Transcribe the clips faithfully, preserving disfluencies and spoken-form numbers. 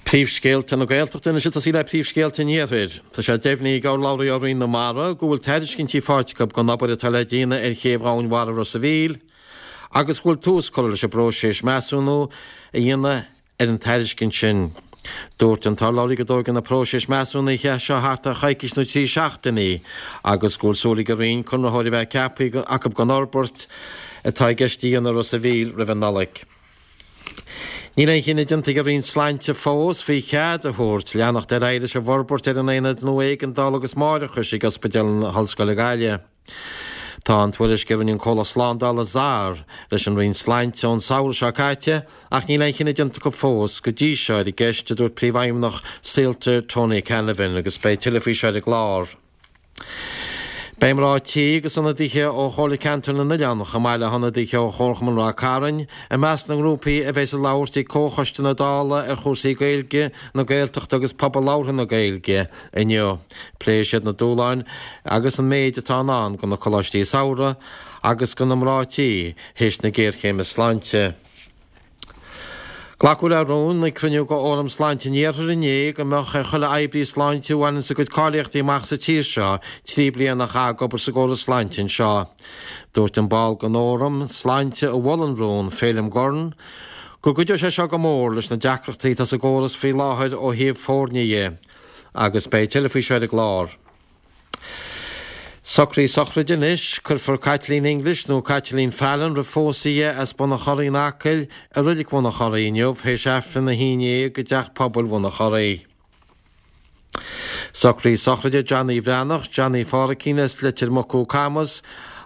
Príomhscéalta na Gaeltachta anois ag tosaí le príomhscéalta an Iarthair. Tá sé deimhnithe ag urlabhraí ó Roinn na Mara go bhfuil tairiscintí faighte acu don obair atá le déanamh ar chéibh Dhomhain Mhara Ros a' Mhíl agus go bhfuil tús curtha leis an bpróiseas measúnú a dhéanamh ar an tairiscint sin. Dúirt an t-urlabhraí go dtógann an próiseas measúnaithe seo thart ar choicís nó trí seachtainí agus go bhfuil súil ag an Roinn conraitheoir a bheith ceaptha acu don fhorbairt atá i gceist a dhéanamh i Ros a' Mhíl roimh an Nollaig. Níl aon chinneadh déanta ag an Roinn Sláinte fós faoi chead a thabhairt leanacht ar aghaidh leis an bhforbairt ar an aonad nua éigeandála agus máithreachais ag Ospidéal na hOllscoile Gaillimh. Tá an tuairisc a rinne an comhlacht slándála ZAR leis an Roinn Sláinte ón samhradh seo caite ach níl aon chinneadh déanta acu fós go dtí seo ar an gceist, a dúirt Príomhfheidhmeannach Saolta Tony Canavan agus beidh tuilleadh faoi seo ar an gclár. Beidh mná tí agus ionadaithe ó Chomhairle Ceantair na nOileán, chomh maith le hionadaithe ó Chomharchumann Ráth Cairn, i measc na ngrúpaí a bheas ag labhairt ag Comhchoiste na Dála ar chúrsaí Gaeilge, na Gaeltachta agus pobal labhartha na Gaeilge inniu. Pléifidh siad na dúshláin agus an méid atá i ndán do na coláistí samhraidh agus do na mná tí théis na géarchéime sláinte. Glacadh le rún ag cruinniú de Fhóram Sláinte an Iarthair inné go mbeadh ar chuile oibrí sláinte a bhaineanns a gcuid cáilíochtaí amach sa tír seo trí bliana a chaitheamh ag obair sa gcóras sláinte anseo. Dúirt an ball den Fhóram Sláinte a mhol an rún, Féilim Gurn, go gcuideodh sé seo go mór leis na deacrachtaí atá sa gcóras faoi láthair ó thaobh foirne dhe. Agus beidh tuilleadh faoi seo ar an gclár. Socruithe sochraide anois, cuirfear Caitlín English nó Caitlín Fallon roimh phósadh di as Bun an Chorraí in Acaill i Reilig Bhun an Chorraí inniu théis Aifreann a haon déag i dTeach Pobail Bhun an Chorraí. Socruithe sochraide Johnny Bhreathnach, Johnny Phádraicín as Leitir Mucú Camas,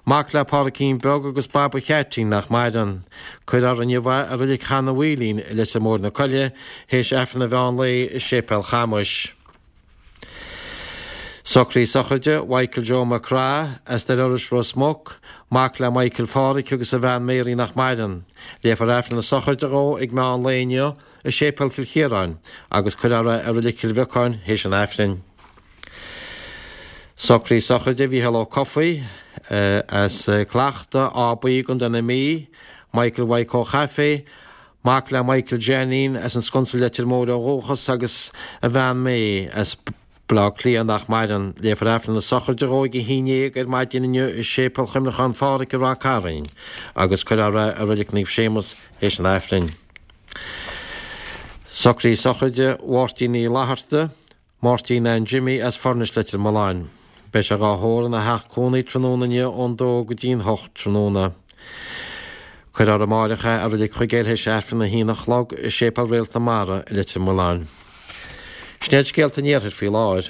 mac le Pádraicín Beag agus Baba Cheaitín nach maireann. Cuirfear inniu é i Reilig Sheanadh Mhaoilín i Leitir Móir na Coille théis Aifreann an mheán lae i Séipéal Chamuis. Socruithe sochraide Mhichael Joe McGrath as Doire Iorrais Ros Muc, mac le Michael Pháraic agus a bhean Mary nach maireann. Léifear Aifreann na sochraide dhó ag meán lae inniu i Séipéal Chill Chiaráin agus cuirfear é i Reilig Chill Bheacáin théis an Aifrinn. Socruithe sochraide Mhícheál Ó Cofaigh as Clachta, Áth Buí i gContae na Mí, Michael Mhaidhc Ó Chaifé, mac le Michael Jeanín as an Sconsa Leitir Móir ó dhúchas agus a bhean May as Baile Átha Cliath nach maireann. Léifear Aifreann na sochraide dhó ag a haon déag ar maidin inniu i Séipéal Chuimhneacháin Pháraic i Ráth Cairn agus cuirfear é i Reilig Naomh Séamus théis an Aifrinn. Socruithe sochraide Mháirtín Uí Fhlatharta, Máirtín Ann Jimmy as Foirnis Leitir Mealláin. Beidh sé dhá thórramh ina theach cónaí tráthnóna inniu ón dó go dtí'n hocht tráthnóna. Cuirfear amáireach é i Reilig Chuigéil théis Aifreann a haon a chlog i Séipéal Réalt na Mara i Leitir Mealláin. Sin iad scéalta an Iarthair faoi láthair.